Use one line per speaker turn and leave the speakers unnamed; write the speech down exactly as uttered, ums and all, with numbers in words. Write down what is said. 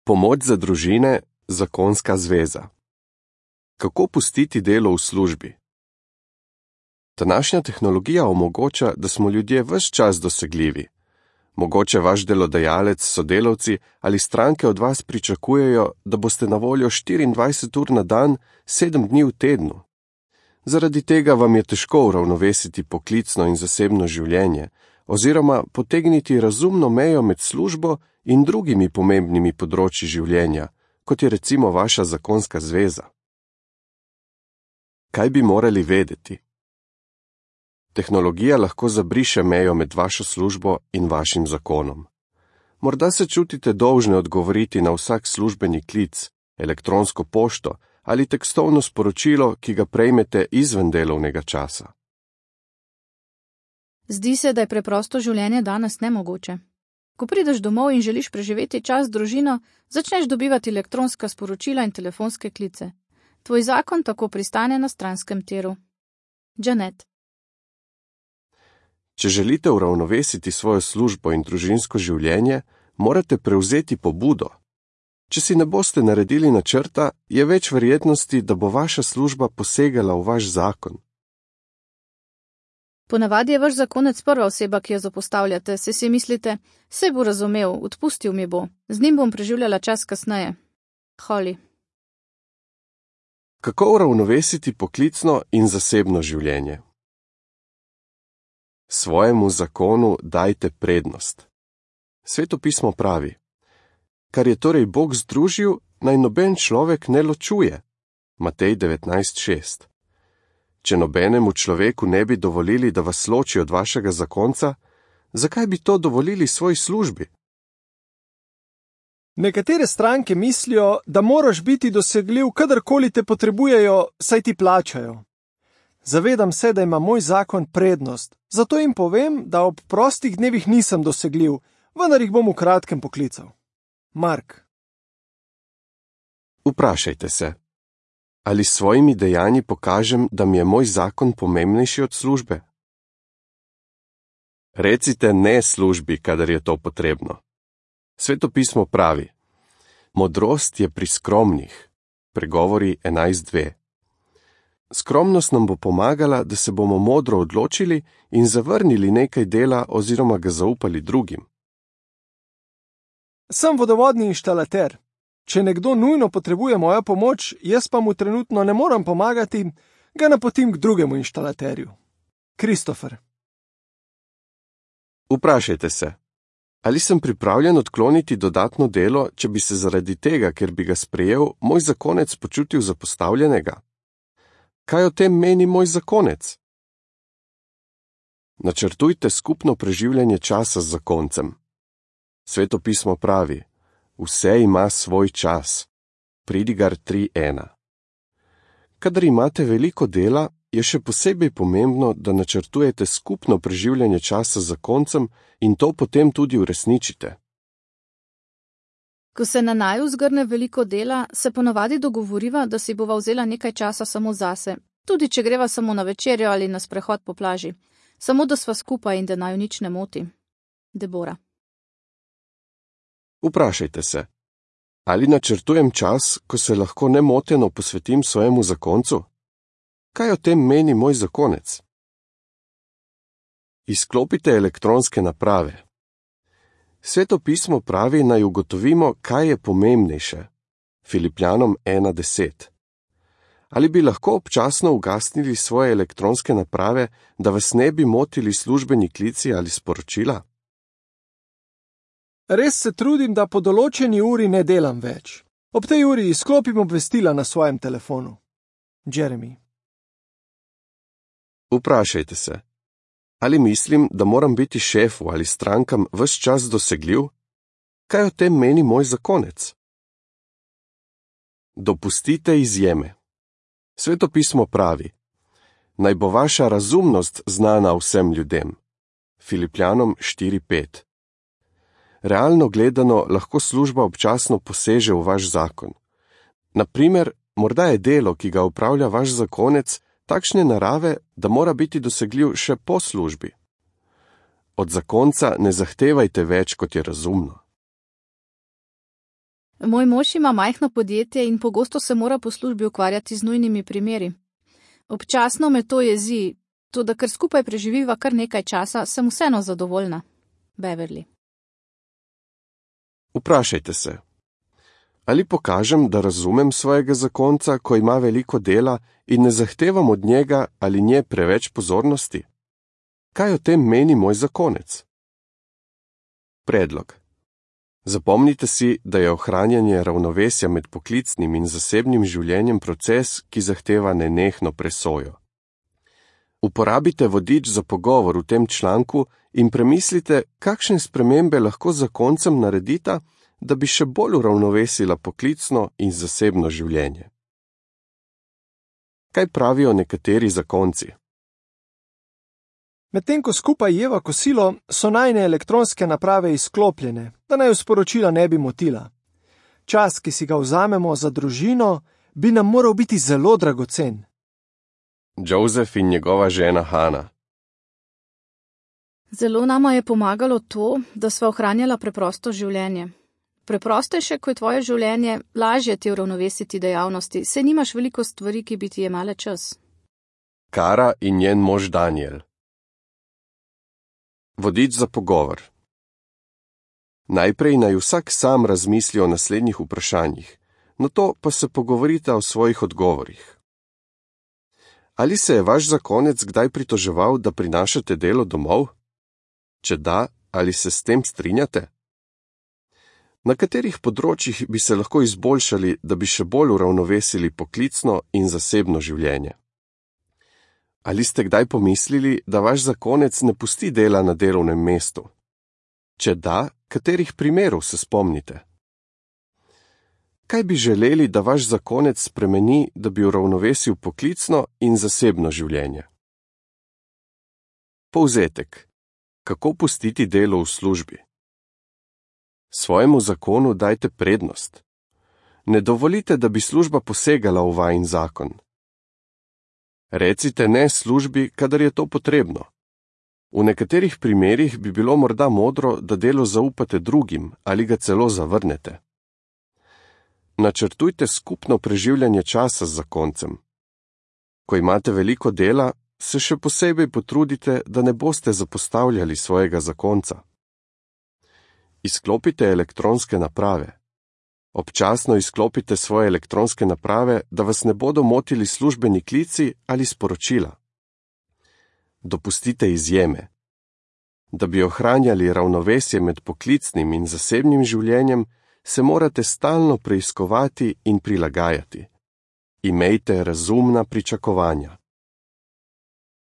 Pomoč za družine, zakonska zveza. Kako pustiti delo v službi? Današnja tehnologija omogoča, da smo ljudje ves čas dosegljivi. Mogoče vaš delodajalec, sodelavci ali stranke od vas pričakujejo, da boste na voljo štiriindvajset ur na dan, sedem dni v tednu. Zaradi tega vam je težko uravnovesiti poklicno in zasebno življenje oziroma potegniti razumno mejo med službo in drugimi pomembnimi področji življenja, kot je recimo vaša zakonska zveza. Kaj bi morali vedeti? Tehnologija lahko zabriše mejo med vašo službo in vašim zakonom. Morda se čutite dolžni odgovoriti na vsak službeni klic, elektronsko pošto ali tekstovno sporočilo, ki ga prejmete izven delovnega časa.
Zdi se, da je preprosto življenje danes nemogoče. Ko prideš domov in želiš preživeti čas z družino, začneš dobivati elektronska sporočila in telefonske klice. Tvoj zakon tako pristane na stranskem tiru. Janet.
Če želite uravnovesiti svojo službo in družinsko življenje, morate prevzeti pobudo. Če si ne boste naredili načrta, je več verjetnosti, da bo vaša služba posegala v vaš zakon.
Ponavadi je vaš zakonec prva oseba, ki jo zapostavljate, se si mislite, saj bo razumel, odpustil mi bo, z njim bom preživljala čas kasneje. Holly.
Kako uravnovesiti poklicno in zasebno življenje? Svojemu zakonu dajte prednost. Sveto pismo pravi: kar je torej Bog združil, naj noben človek ne ločuje. Matej devetnajst šest. Če nobenemu človeku ne bi dovolili, da vas loči od vašega zakonca, zakaj bi to dovolili svoji službi?
Nekatere stranke mislijo, da moraš biti dosegljiv, kadarkoli te potrebujejo, saj ti plačajo. Zavedam se, da ima moj zakon prednost, zato jim povem, da ob prostih dnevih nisem dosegljiv, vendar jih bom v kratkem poklical. Mark.
Vprašajte se, ali s svojimi dejanji pokažem, da mi je moj zakon pomembnejši od službe? Recite ne službi, kadar je to potrebno. Sveto pismo pravi: modrost je pri skromnih. Pregovori enajst dve. Skromnost nam bo pomagala, da se bomo modro odločili in zavrnili nekaj dela oziroma ga zaupali drugim.
Sem vodovodni inštalater. Če nekdo nujno potrebuje mojo pomoč, jaz pa mu trenutno ne morem pomagati, ga napotim k drugemu inštalaterju. Kristofer.
Vprašajte se, ali sem pripravljen odkloniti dodatno delo, če bi se zaradi tega, ker bi ga sprejel, moj zakonec počutil zapostavljenega? Kaj o tem meni moj zakonec? Načrtujte skupno preživljanje časa z zakoncem. Sveto pismo pravi: vse ima svoj čas. Pridigar tri ena. Kadar imate veliko dela, je še posebej pomembno, da načrtujete skupno preživljanje časa z zakoncem in to potem tudi uresničite.
Ko se na naju zgrne veliko dela, se ponavadi dogovoriva, da si bova vzela nekaj časa samo zase, tudi če greva samo na večerjo ali na sprehod po plaži, samo da sva skupaj in da naju nič ne moti. Debora.
Vprašajte se, ali načrtujem čas, ko se lahko nemoteno posvetim svojemu zakoncu? Kaj o tem meni moj zakonec? Izklopite elektronske naprave. Sveto pismo pravi, naj ugotovimo, kaj je pomembnejše. Filipljanom ena deset. Ali bi lahko občasno ugasnili svoje elektronske naprave, da vas ne bi motili službeni klici ali sporočila?
Res se trudim, da po določeni uri ne delam več. Ob tej uri izklopim obvestila na svojem telefonu. Jeremy.
Vprašajte se, ali mislim, da moram biti šefu ali strankam ves čas dosegljiv? Kaj o tem meni moj zakonec? Dopustite izjeme. Sveto pismo pravi: naj bo vaša razumnost znana vsem ljudem. Filipljanom štiri pet. Realno gledano lahko služba občasno poseže v vaš zakon. Naprimer, morda je delo, ki ga upravlja vaš zakonec, takšne narave, da mora biti dosegljiv še po službi. Od zakonca ne zahtevajte več, kot je razumno.
Moj mož ima majhno podjetje in pogosto se mora po službi ukvarjati z nujnimi primeri. Občasno me to jezi, toda ker skupaj preživiva kar nekaj časa, sem vseeno zadovoljna. Beverly.
Vprašajte se, ali pokažem, da razumem svojega zakonca, ko ima veliko dela in ne zahtevam od njega ali nje preveč pozornosti? Kaj o tem meni moj zakonec? Predlog. Zapomnite si, da je ohranjanje ravnovesja med poklicnim in zasebnim življenjem proces, ki zahteva nenehno presojo. Uporabite vodič za pogovor v tem članku in premislite, kakšne spremembe lahko zakoncem naredita, da bi še bolj uravnovesila poklicno in zasebno življenje. Kaj pravijo nekateri zakonci?
Medtem ko skupaj jeva kosilo, so najne elektronske naprave izklopljene, da naj sporočila ne bi motila. Čas, ki si ga vzamemo za družino, bi nam moral biti zelo dragocen.
Joseph in njegova žena Hana.
Zelo nama je pomagalo to, da sva ohranjala preprosto življenje. Preprostejše, ko je tvoje življenje, lažje ti uravnovesiti dejavnosti, saj nimaš veliko stvari, ki bi ti jemale čas.
Kara in njen mož Daniel. Vodič za pogovor. Najprej naj vsak sam razmisli o naslednjih vprašanjih, nato pa se pogovorite o svojih odgovorih. Ali se je vaš zakonec kdaj pritoževal, da prinašate delo domov? Če da, ali se s tem strinjate? Na katerih področjih bi se lahko izboljšali, da bi še bolj uravnovesili poklicno in zasebno življenje? Ali ste kdaj pomislili, da vaš zakonec ne pusti dela na delovnem mestu? Če da, katerih primerov se spomnite? Kaj bi želeli, da vaš zakonec spremeni, da bi uravnovesil poklicno in zasebno življenje? Povzetek. Kako pustiti delo v službi? Svojemu zakonu dajte prednost. Ne dovolite, da bi služba posegala v vajin zakon. Recite ne službi, kadar je to potrebno. V nekaterih primerih bi bilo morda modro, da delo zaupate drugim ali ga celo zavrnete. Načrtujte skupno preživljanje časa z zakoncem. Ko imate veliko dela, se še posebej potrudite, da ne boste zapostavljali svojega zakonca. Izklopite elektronske naprave. Občasno izklopite svoje elektronske naprave, da vas ne bodo motili službeni klici ali sporočila. Dopustite izjeme. Da bi ohranjali ravnovesje med poklicnim in zasebnim življenjem, se morate stalno preiskovati in prilagajati. Imejte razumna pričakovanja.